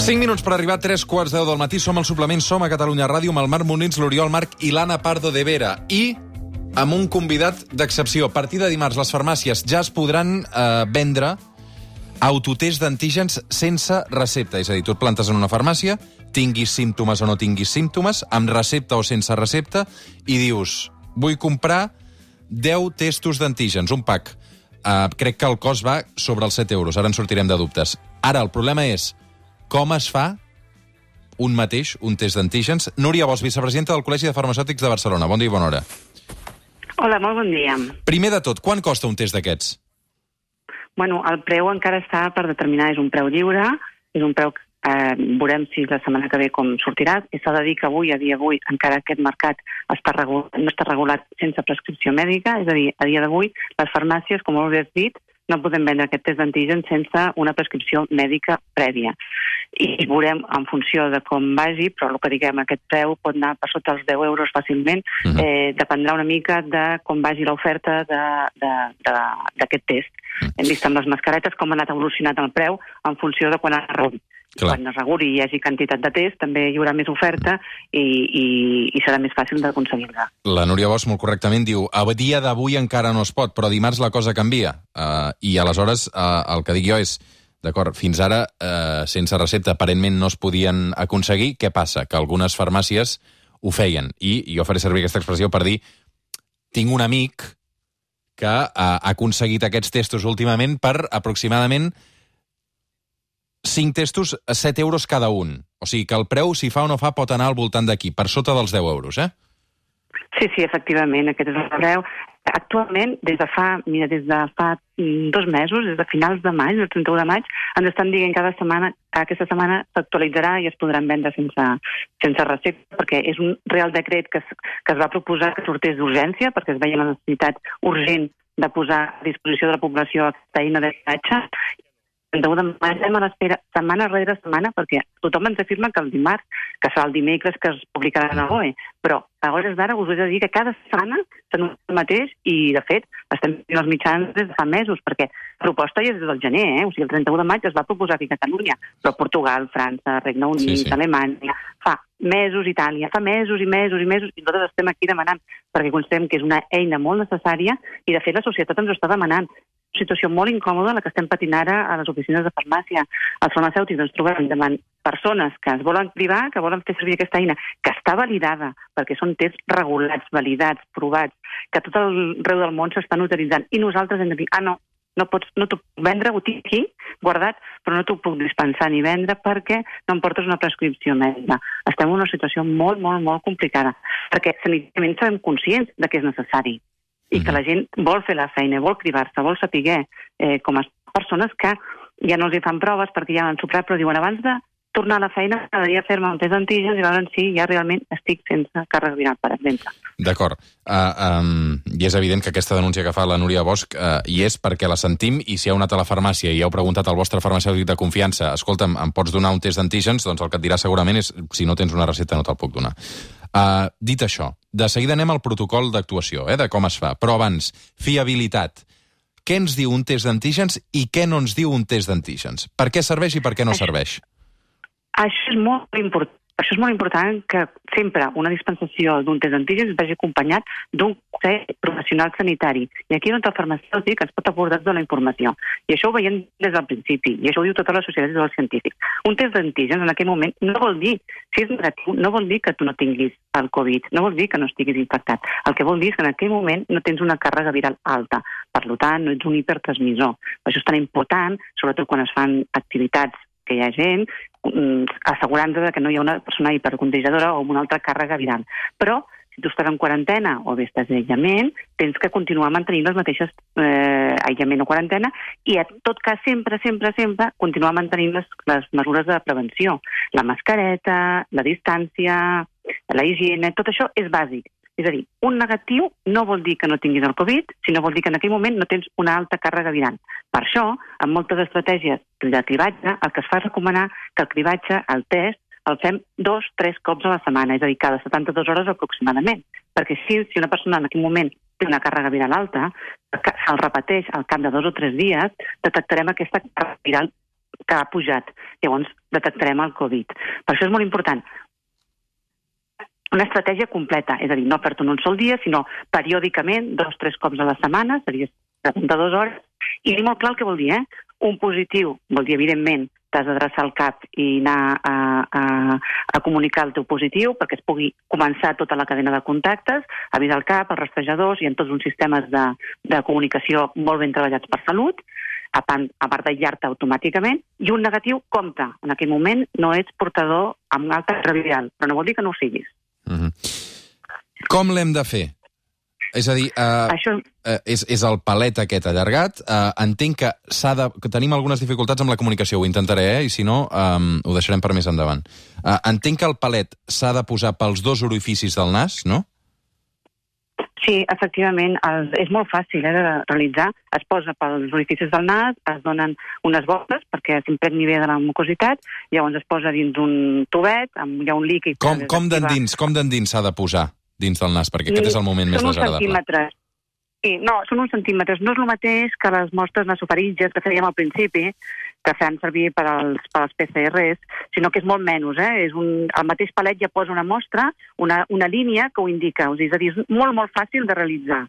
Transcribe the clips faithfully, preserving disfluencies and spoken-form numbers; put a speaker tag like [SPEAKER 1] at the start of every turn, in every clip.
[SPEAKER 1] cinc minuts per arribar a tres quarts de deu del matí. Som al suplement, som a Catalunya Ràdio amb el Marc Molins, l'Oriol Marc i l'Anna Pardo de Vera. I amb un convidat d'excepció. A partir de dimarts les farmàcies ja es podran eh, vendre autotest d'antígens sense recepta. És a dir, tu et plantes en una farmàcia, tinguis símptomes o no tinguis símptomes, amb recepta o sense recepta, i dius, vull comprar deu testos d'antígens, un pack. Uh, crec que el cost va sobre els set euros. Ara en sortirem de dubtes. Ara, el problema és com es fa un mateix, un test d'antígens. Núria Bosch, vicepresidenta del Col·legi de Farmacèutics de Barcelona. Bon dia i bona hora.
[SPEAKER 2] Hola, molt bon dia.
[SPEAKER 1] Primer de tot, quan costa un test d'aquests?
[SPEAKER 2] Bueno, el preu encara està per determinar. És un preu lliure, és un preu que eh, veurem si la setmana que ve com sortirà. I s'ha de dir que avui, a dia d'avui, encara aquest mercat està regulat, no està regulat sense prescripció mèdica, és a dir, a dia d'avui, les farmàcies, com ho has dit, no podem vendre aquest test d'antígens sense una prescripció mèdica prèvia. I veurem en funció de com vagi, però el que diguem, aquest preu pot anar per sota els deu euros fàcilment, uh-huh. eh, dependrà una mica de com vagi l'oferta d'aquest test. Uh-huh. Hem vist amb les mascaretes com ha anat evolucionant el preu en funció de quan es reguli. Clar. Quan es reguli i hi hagi quantitat de test, també hi haurà més oferta i, i, i serà més fàcil d'aconseguir-la.
[SPEAKER 1] La Núria Bosch molt correctament diu, a dia d'avui encara no es pot, però dimarts la cosa canvia. Uh, I aleshores uh, el que dic jo és, d'acord, fins ara uh, sense recepta aparentment no es podien aconseguir. Què passa? Que algunes farmàcies ho feien. I jo faré servir aquesta expressió per dir, tinc un amic que uh, ha aconseguit aquests testos últimament per aproximadament cinc testos a set euros cada un. O sigui que el preu, si fa o no fa, pot anar al voltant d'aquí, per sota dels deu euros, eh?
[SPEAKER 2] Sí, sí, efectivament, aquest és el preu. Actualment, des de fa, mira, des de fa dos mesos, des de finals de maig, el trenta-u de maig, ens estan dient cada setmana, aquesta setmana s'actualitzarà i es podran vendre sense, sense recepta, perquè és un real decret que es, que es va proposar que sortés d'urgència, perquè es veia la necessitat urgent de posar a disposició de la població aquesta eina de viatge. El trenta-u de maig estem a l'espera setmana rere setmana perquè tothom ens afirma que el dimarts, que serà el dimecres que es publicarà a la B O E, però a hores d'ara us he de dir que cada setmana s'anuncia el mateix i, de fet, estem fent els mitjans des de fa mesos, perquè la proposta ja és des del gener, eh? O sigui, el trenta-u de maig es va proposar aquí a Catalunya, però Portugal, França, Regne Unit, sí, sí. Alemanya, fa mesos Itàlia, fa mesos i mesos i mesos, i nosaltres estem aquí demanant, perquè considerem que és una eina molt necessària i, de fet, la societat ens ho està demanant. Una situació molt incòmoda la que estem patint ara a les oficines de farmàcia. Els farmacèutics ens trobem davant persones que es volen privar, que volen fer servir aquesta eina, que està validada, perquè són tests regulats, validats, provats, que tot arreu del món s'estan utilitzant. I nosaltres hem de dir, ah, no, no pots, no t'ho puc vendre, ho tinc aquí, guardat, però no t'ho puc dispensar ni vendre perquè no em portes una prescripció mèdica. Estem en una situació molt, molt, molt complicada, perquè sanitàriament serem conscients de que és necessari i que la gent vol fer la feina, vol cribar-se, vol saber eh, com a persones que ja no els hi fan proves perquè ja han soprat, però diuen abans de tornar a la feina m'agradaria fer-me un test d'antígens i veure si ja realment estic sense càrrega viral, per exemple.
[SPEAKER 1] D'acord. Uh, um, I és evident que aquesta denúncia que fa la Núria Bosch uh, hi és perquè la sentim, i si heu anat a la farmàcia i heu preguntat al vostre farmacèutic de confiança, escolta'm, em pots donar un test d'antígens? Doncs el que et dirà segurament és, si no tens una recepta no te'l puc donar. Uh, dit això, de seguida anem al protocol d'actuació, eh, de com es fa. Però abans, fiabilitat. Què ens diu un test d'antígens i què no ens diu un test d'antígens? Per què serveix i per què no serveix?
[SPEAKER 2] Això és molt important. Això és molt important que sempre una dispensació d'un test d'antígens vagi acompanyat d'un consell professional sanitari. I aquí doncs el farmacèutic ens pot aportar tota la informació. I això ho veiem des del principi, i això ho diu tota la societat i els científics. Un test d'antígens en aquell moment no vol dir, si és negatiu, no vol dir que tu no tinguis el Covid, no vol dir que no estiguis infectat. El que vol dir és que en aquell moment no tens una càrrega viral alta. Per tant, no ets un hipertransmissor. Això és tan important, sobretot quan es fan activitats que hi ha gent, assegurant-se que no hi ha una persona hipercontagiadora o amb una altra càrrega viral. Però, si tu estàs en quarantena o bé estàs aïllament, tens que continuar mantenint les mateixes eh, aïllament o quarantena i, en tot cas, sempre, sempre, sempre continuar mantenint les, les mesures de prevenció. La mascareta, la distància, la higiene, tot això és bàsic. És a dir, un negatiu no vol dir que no tinguis el Covid, sinó vol dir que en aquell moment no tens una alta càrrega viral. Per això, en moltes estratègies de cribatge, el que es fa és recomanar que el cribatge, el test, el fem dos, tres cops a la setmana, és a dir, cada setanta-dues hores aproximadament. Perquè si, si una persona en aquell moment té una càrrega viral alta, se'l repeteix al cap de dos o tres dies, detectarem aquesta càrrega viral que ha pujat. Llavors detectarem el Covid. Per això és molt important una estratègia completa, és a dir, no fer-te en un sol dia, sinó periòdicament, dos o tres cops a la setmana, seria setanta-dues hores, i dir molt clar el que vol dir, eh? Un positiu vol dir, evidentment, t'has d'adreçar al cap i anar a, a, a comunicar el teu positiu perquè es pugui començar tota la cadena de contactes, avisar el cap, els rastrejadors, i en tots uns sistemes de, de comunicació molt ben treballats per Salut, a part, a part d'aïllar-te automàticament, i un negatiu, compte, en aquell moment no ets portador amb un altre viral, però no vol dir que no ho siguis.
[SPEAKER 1] Mm-hmm. Com l'hem de fer? És a dir, uh, Això... uh, és, és el palet aquest allargat. Uh, entenc que, s'ha de, que tenim algunes dificultats amb la comunicació, ho intentaré, eh? I si no, um, ho deixarem per més endavant. Uh, entenc que el palet s'ha de posar pels dos orificis del nas, no?
[SPEAKER 2] Sí, efectivament, el, és molt fàcil eh, de realitzar. Es posa pels orificis del nas, es donen unes botes perquè s'impregni bé de la mucositat, llavors es posa dins un tubet, amb, hi ha un líquid...
[SPEAKER 1] Com, com d'endins com d'endins s'ha de posar dins del nas? Perquè aquest és el moment més desagradable.
[SPEAKER 2] Són uns centímetres. Sí, no, són uns centímetres. No és el mateix que les mostres nasofaríngies que fèiem al principi, que fem servir per als, per als P C Rs, sinó que és molt menys. Eh? És un, el mateix palet ja posa una mostra, una, una línia que ho indica. És a dir, és molt, molt fàcil de realitzar.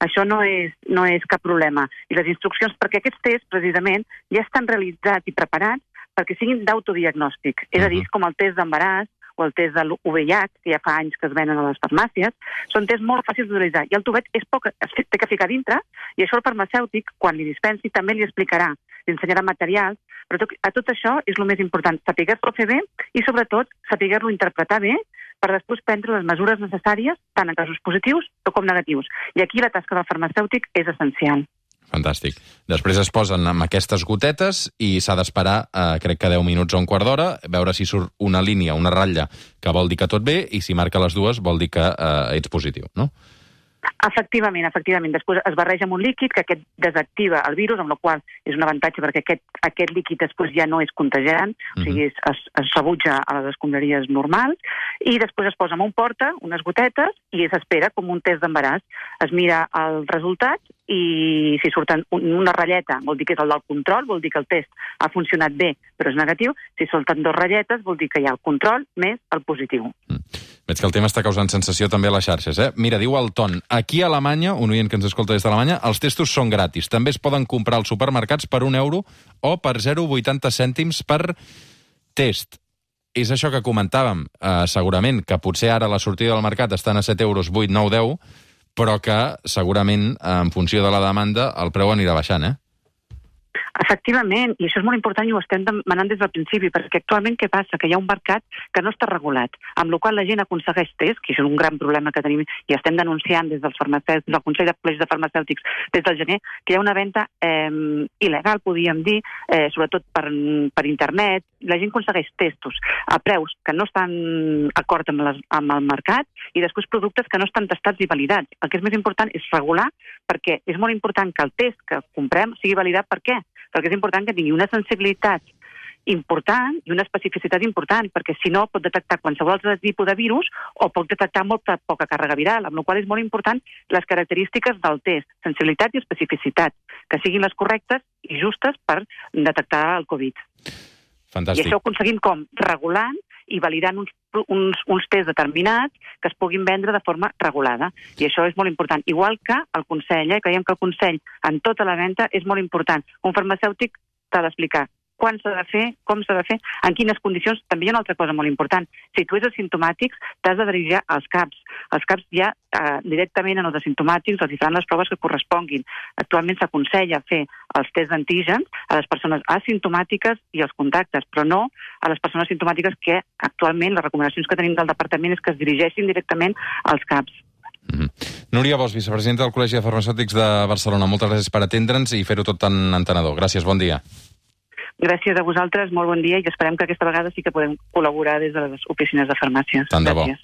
[SPEAKER 2] Això no és, no és cap problema. I les instruccions, perquè aquests tests, precisament, ja estan realitzats i preparats perquè siguin d'autodiagnòstic. És a dir, com el test d'embaràs, o el test de l'U V I H, que ja fa anys que es venen a les farmàcies, són tests molt fàcils d'utilitzar. I el tubet és poc, es té que ficar dintre, i això el farmacèutic, quan li dispensi, també li explicarà, li ensenyarà materials, però tot, a tot això és el més important, saber-lo fer bé i, sobretot, saber-lo interpretar bé per després prendre les mesures necessàries, tant en casos positius com negatius. I aquí la tasca del farmacèutic és essencial.
[SPEAKER 1] Fantàstic. Després es posen amb aquestes gotetes i s'ha d'esperar, eh, crec que deu minuts o un quart d'hora, veure si surt una línia, una ratlla, que vol dir que tot bé, i si marca les dues vol dir que eh, ets positiu, no?
[SPEAKER 2] Efectivament, efectivament. Després es barreja amb un líquid que aquest desactiva el virus, amb la qual és un avantatge perquè aquest, aquest líquid després ja no és contagiant, uh-huh. O sigui, es, es, es rebutja a les escombraries normals, i després es posa en un porta, unes gotetes, i s'espera com un test d'embaràs. Es mira el resultat i si surten una ratlleta vol dir que és el del control, vol dir que el test ha funcionat bé però és negatiu. Si surten dues ratlletes vol dir que hi ha el control més el positiu.
[SPEAKER 1] Mm. Veig que el tema està causant sensació també a les xarxes, eh? Mira, diu el Ton, aquí a Alemanya, un oient que ens escolta des d'Alemanya, els testos són gratis. També es poden comprar als supermercats per un euro o per zero coma vuitanta cèntims per test. És això que comentàvem, eh, segurament, que potser ara la sortida del mercat estan a set euros, vuit, nou, deu, però que segurament, en funció de la demanda, el preu anirà baixant, eh?
[SPEAKER 2] Efectivament, i això és molt important i ho estem demanant des del principi, perquè actualment què passa? Que hi ha un mercat que no està regulat, amb la qual la gent aconsegueix tests, que això és un gran problema que tenim i estem denunciant des dels farmacèutics, del Consell de Col·legis de Farmacèutics des del gener, que hi ha una venda eh, il·legal, podríem dir, eh, sobretot per, per internet. La gent aconsegueix testos a preus que no estan d'acord amb, les, amb el mercat i després productes que no estan testats i validats. El que és més important és regular, perquè és molt important que el test que comprem sigui validat. Per què? Perquè és important que tingui una sensibilitat important i una especificitat important, perquè si no pot detectar qualsevol altre tipus de virus o pot detectar molta poca càrrega viral, amb la qual és molt important les característiques del test, sensibilitat i especificitat, que siguin les correctes i justes per detectar el Covid.
[SPEAKER 1] Fantàstic.
[SPEAKER 2] I això ho aconseguim com? Regulant i validant uns, uns, uns tests determinats que es puguin vendre de forma regulada. I això és molt important. Igual que el Consell, eh? Creiem que el Consell en tota la venda és molt important. Un farmacèutic t'ha d'explicar quan s'ha de fer, com s'ha de fer, en quines condicions. També hi ha una altra cosa molt important. Si tu ets asimptomàtic, t'has de dirigir als CAPs. Els CAPs ja eh, directament en els asimptomàtics els faran les proves que corresponguin. Actualment s'aconsella fer els tests d'antígens a les persones asimptomàtiques i els contactes, però no a les persones asimptomàtiques que actualment les recomanacions que tenim del departament és que es dirigeixin directament als CAPs.
[SPEAKER 1] Mm-hmm. Núria Bosch, vicepresidenta del Col·legi de Farmacèutics de Barcelona. Moltes gràcies per atendre'ns i fer-ho tot tan entenedor. Gràcies, bon dia.
[SPEAKER 2] Gràcies a vosaltres, molt bon dia i esperem que aquesta vegada sí que podem col·laborar des de les oficines de farmàcies.
[SPEAKER 1] Tant de bo.
[SPEAKER 2] Gràcies.